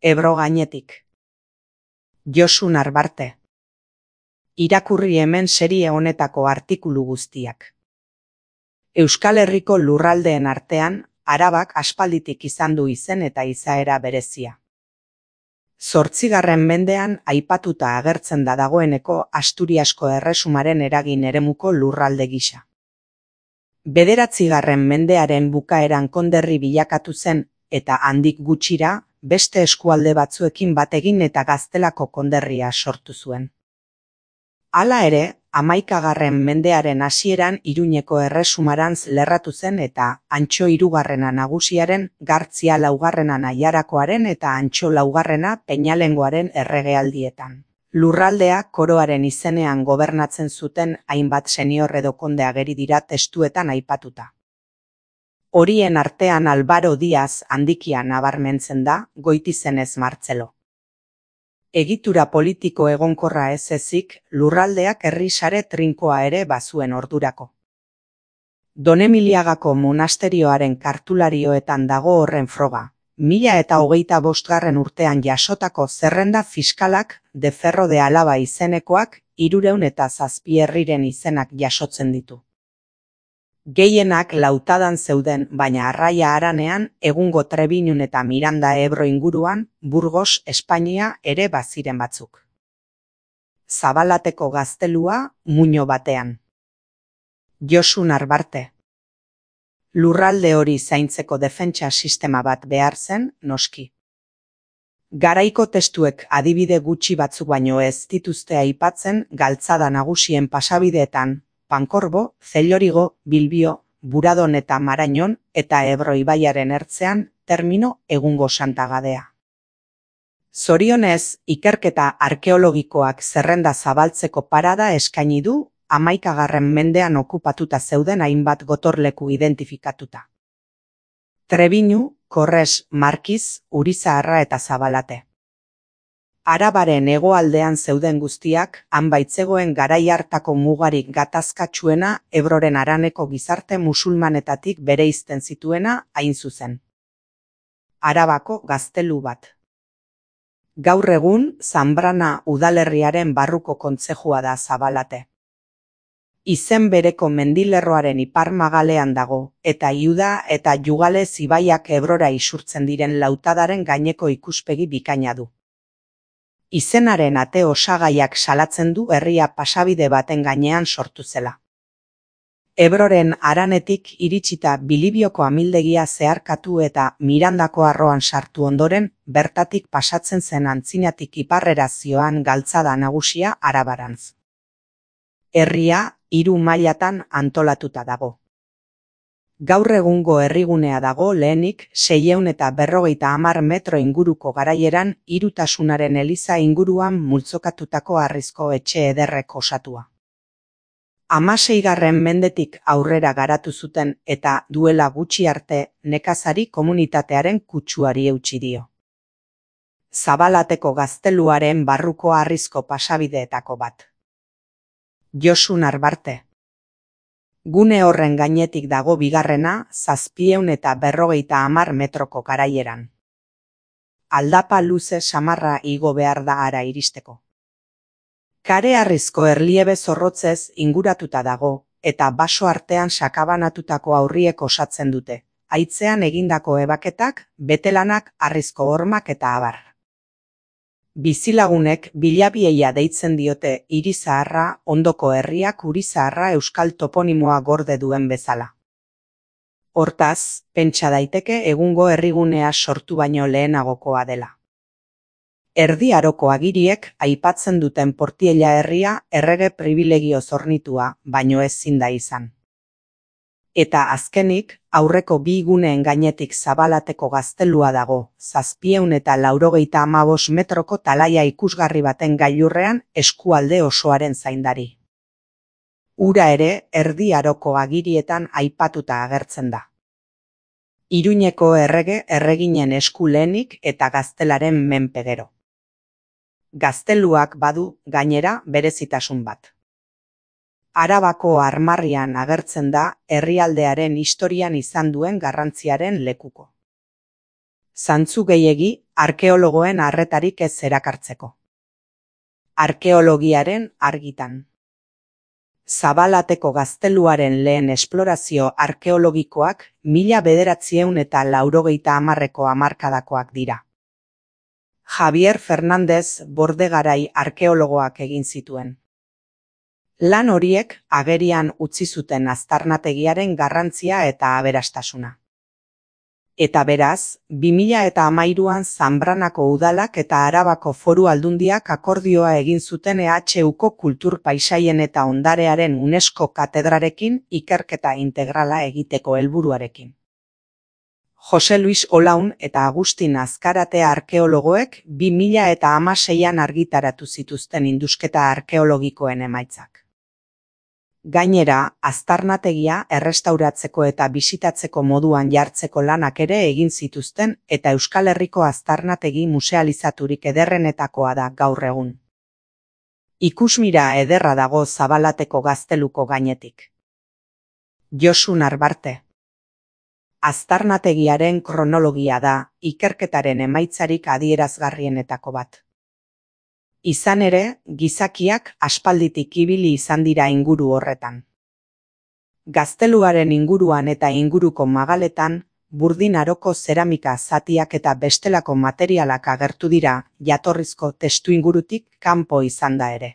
Ebro gainetik. Josu Narbarte. Irakurri hemen serie honetako artikulu guztiak. Euskal Herriko lurraldeen artean, Arabak aspalditik izan du izen eta izaera berezia. 8. mendean aipatuta agertzen da dagoeneko Asturiasko erresumaren eragin eremuko lurralde gisa. 9. mendearen bukaeran konderri bilakatu zen eta handik gutxira beste eskualde batzuekin bat egin eta Gaztelako konderria sortu zuen. Hala ere, 11. mendearen hasieran Iruñeko erresumarantz lerratu zen eta Antxo 3. nagusiaren, Gartzia 4. Aiarakoaren eta Antxo 4. Peñalengoaren erregealdietan. Lurraldea koroaren izenean gobernatzen zuten hainbat senior edo konde ageri dira testuetan aipatuta. Horien artean Albaro Diaz handikia nabarmentzen da, Goitizenez Martzelo. Egitura politiko egonkorra ez ezik, lurraldeak herri sare trinkoa ere bazuen ordurako. Donemiliagako monasterioaren kartularioetan dago horren froga. 1025. urtean jasotako zerrenda fiskalak de Ferro de Alaba izenekoak 307 herriren izenak jasotzen ditu. Gehienak Lautadan zeuden, baina Arraia Haranean, egungo Trebiñun eta Miranda Ebro inguruan, Burgos, Espainia ere baziren batzuk. Zabalateko gaztelua, muino batean. Josu Narbarte. Lurralde hori zaintzeko defentsa sistema bat behar zen, noski. Garaiko testuek adibide gutxi batzuk baino ez dituzte aipatzen galtzada nagusien pasabideetan, Pankorbo, Zellorigo, Bilbio, Buradon eta Marañon eta Ebro ibaiaren ertzean termino egungo Santagadea. Zorionez, ikerketa arkeologikoak zerrenda zabaltzeko parada eskaini du 11. mendean okupatuta zeuden hainbat gotorleku identifikatuta. Trebiñu, Korres, Markiz, Urizaharra eta Zabalate. Arabaren hegoaldean zeuden guztiak, han baitzegoen garai hartako mugarik gatazkatsuena Ebroren haraneko gizarte musulmanetatik bereizten zituena hain zuzen. Arabako gaztelu bat. Gaur egun, Zanbrana udalerriaren barruko kontzejua da Zabalate. Izen bereko mendilerroaren ipar magalean dago, eta Iuda eta Jugalez ibaiak Ebrora isurtzen diren Lautadaren gaineko ikuspegi bikaina du. Izenaren ate osagaiak salatzen du herria pasabide baten gainean sortu zela. Ebroren haranetik iritsita Bilibioko amildegia zeharkatu eta Mirandako arroan sartu ondoren, bertatik pasatzen zen antzinatik iparrera zioan galtzada nagusia Arabarantz. Herria 3 mailatan antolatuta dago. Gaur egungo herrigunea dago lehenik 650 metro inguruko garaieran Hirutasunaren eliza inguruan multzokatutako harrizko etxe ederrek osatua. 16. mendetik aurrera garatu zuten eta duela gutxi arte nekazari komunitatearen kutsuari eutsi dio. Zabalateko gazteluaren barruko harrizko pasabideetako bat. Josu Narbarte. Gune horren gainetik dago bigarrena 750 metroko garaieran. Aldapa luze samarra igo behar da hara iristeko. Kare harrizko erliebe zorrotzez inguratuta dago, eta baso artean sakabanatutako aurriek osatzen dute, haitzean egindako ebaketak, betelanak, harrizko hormak eta abar. Bizilagunek bilabieia deitzen diote Irizaharra, ondoko herriak Urizaharra euskal toponimoa gorde duen bezala. Hortaz, pentsa daiteke egungo herrigunea sortu baino lehenagokoa dela. Erdi Aroko agiriek aipatzen duten Portiella herria errege pribilegio zornitua, baino ezin da izan. Eta azkenik, aurreko bi guneen gainetik Zabalateko gaztelua dago, 795 metroko talaia ikusgarri baten gailurrean eskualde osoaren zaindari. Ura ere Erdi Aroko agirietan aipatuta agertzen da. Iruñeko errege erreginen esku lehenik eta gaztelaren menpe gero. Gazteluak badu, gainera, berezitasun bat. Arabako armarrian agertzen da herrialdearen historian izan duen garrantziaren lekuko. Zantzu gehiegi arkeologoen arretarik ez erakartzeko. Arkeologiaren argitan. Zabalateko gazteluaren lehen esplorazio arkeologikoak 1980ko hamarkadakoak dira. Javier Fernández Bordegarai arkeologoak egin zituen. Lan horiek agerian utzi zuten aztarnategiaren garrantzia eta aberastasuna. Eta beraz, 2013an Zanbranako udalak eta Arabako Foru Aldundiak akordioa egin zuten EHUko kultur paisaien eta ondarearen UNESCO katedrarekin ikerketa integrala egiteko helburuarekin. Jose Luis Olaun eta Agustin Azkarate arkeologoek 2016an argitaratu zituzten indusketa arkeologikoen emaitzak. Gainera, aztarnategia errestauratzeko eta bisitatzeko moduan jartzeko lanak ere egin zituzten eta Euskal Herriko aztarnategi musealizaturik ederrenetakoa da gaur egun. Ikusmira ederra dago Zabalateko gazteluko gainetik. Josu Narbarte. Aztarnategiaren kronologia da ikerketaren emaitzarik adierazgarrienetako bat. Izan ere, gizakiak aspalditik ibili izan dira inguru horretan. Gazteluaren inguruan eta inguruko magaletan, burdin aroko zeramika zatiak eta bestelako materialak agertu dira, jatorrizko testuingurutik kanpo izan da ere.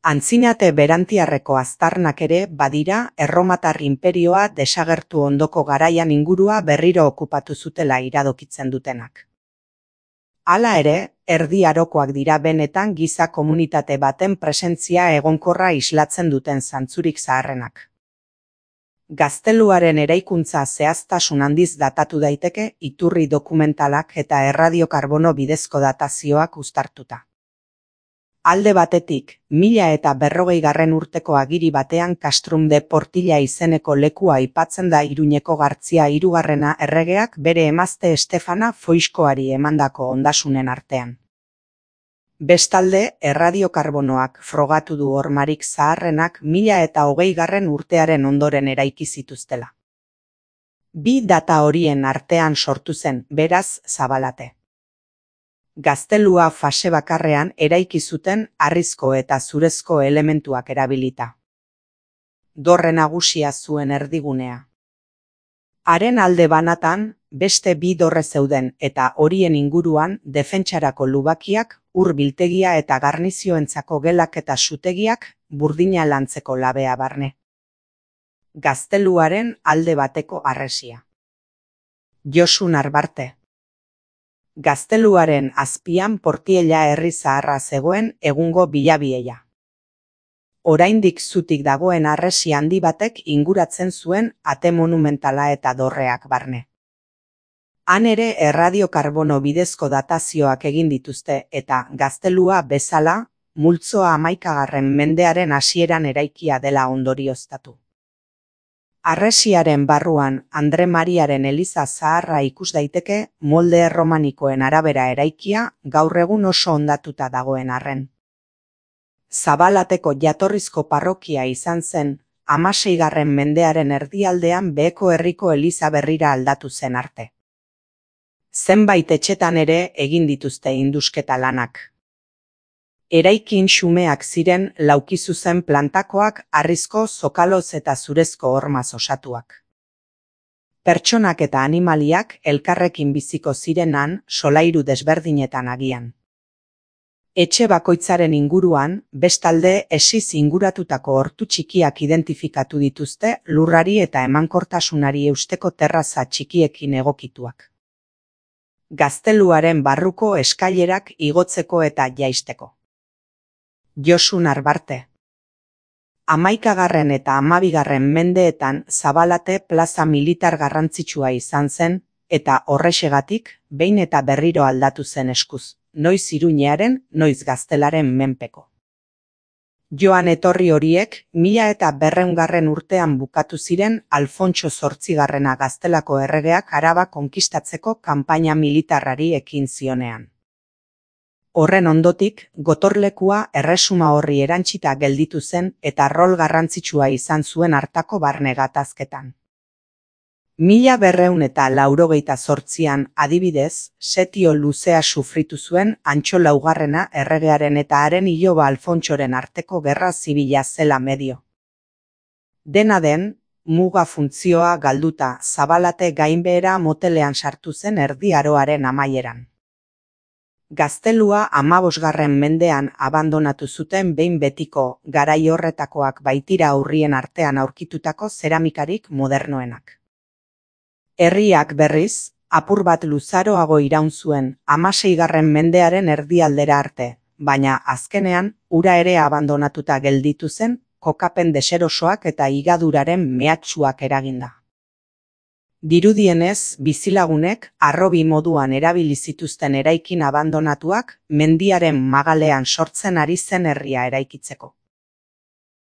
Antzinate berantiarreko aztarnak ere badira Erromatar inperioa desagertu ondoko garaian ingurua berriro okupatu zutela iradokitzen dutenak. Hala ere, erdi arokoak dira benetan giza komunitate baten presentzia egonkorra islatzen duten zantzurik zaharrenak. Gazteluaren eraikuntza zehaztasun handiz datatu daiteke iturri dokumentalak eta erradiokarbono bidezko datazioak uztartuta. Alde batetik, 1040 urteko agiri batean Castrum de Portilla izeneko lekua aipatzen da Iruñeko Gartzia hirugarrena erregeak bere emazte Estefana Foixkoari emandako ondasunen artean. Bestalde, erradiokarbonoak frogatu du hormarik zaharrenak 1020 urtearen ondoren eraiki zituztela. Bi data horien artean sortu zen, beraz, Zabalate. Gaztelua fase bakarrean eraiki zuten harrizko eta zurezko elementuak erabilita. Dorre nagusia zuen erdigunea. Haren alde banatan, beste bi dorre zeuden eta horien inguruan defentsarako lubakiak, ur biltegia eta garnizioentzako gelak eta sutegiak burdina lantzeko labea barne. Gazteluaren alde bateko harresia. Josu Narbarte. Gazteluaren azpian Portiella herri zaharra zegoen egungo Bilabiella. Oraindik zutik dagoen harresi handi batek inguratzen zuen ate monumentala eta dorreak barne. Han ere erradiokarbono bidezko datazioak egin dituzte eta gaztelua bezala, multzoa 11. mendearen hasieran eraikia dela ondorioztatu. Harresiaren barruan Andre Mariaren eliza zaharra ikus daiteke molde erromanikoen arabera eraikia gaur egun oso hondatuta dagoen arren. Zabalateko jatorrizko parrokia izan zen 16. mendearen erdialdean Beheko herriko eliza berrira aldatu zen arte. Zenbait etxetan ere egin dituzte indusketa lanak. Eraikin xumeak ziren laukizuzen plantakoak harrizko zokaloz eta zurezko hormaz osatuak. Pertsonak eta animaliak elkarrekin biziko zirenan solairu desberdinetan agian. Etxe bakoitzaren inguruan, bestalde esiz inguratutako hortu txikiak identifikatu dituzte lurrari eta emankortasunari eusteko terraza txikiekin egokituak. Gazteluaren barruko eskailerak igotzeko eta jaisteko. Josu Narbarte. 11. eta 12. mendeetan Zabalate plaza militar garrantzitsua izan zen eta horrexegatik behin eta berriro aldatu zen eskuz, noiz Iruñearen, noiz Gaztelaren menpeko. Joan etorri horiek 1200 urtean bukatu ziren Alfontso Zortzigarrena Gaztelako erregeak Araba konkistatzeko kanpaina militarrari ekin zionean. Horren ondotik, gotorlekua erresuma horri erantsita gelditu zen eta rol garrantzitsua izan zuen hartako barne gatazketan. 1288an, adibidez, setio luzea sufritu zuen Antxo Laugarrena erregearen eta haren iloba Alfontsoren arteko gerra zibila zela medio. Dena den, muga funtzioa galduta Zabalate gainbehera motelean sartu zen Erdi Aroaren amaieran. Gaztelua 15. mendean abandonatu zuten behin betiko, garai horretakoak baitira aurrien artean aurkitutako zeramikarik modernoenak. Herriak berriz, apur bat luzaroago iraun zuen 16. mendearen erdialdera arte, baina azkenean ura ere abandonatuta gelditu zen kokapen deserosoak eta higaduraren mehatxuak eraginda. Dirudienez, bizilagunek harrobi moduan erabili zituzten eraikin abandonatuak mendiaren magalean sortzen ari zen herria eraikitzeko.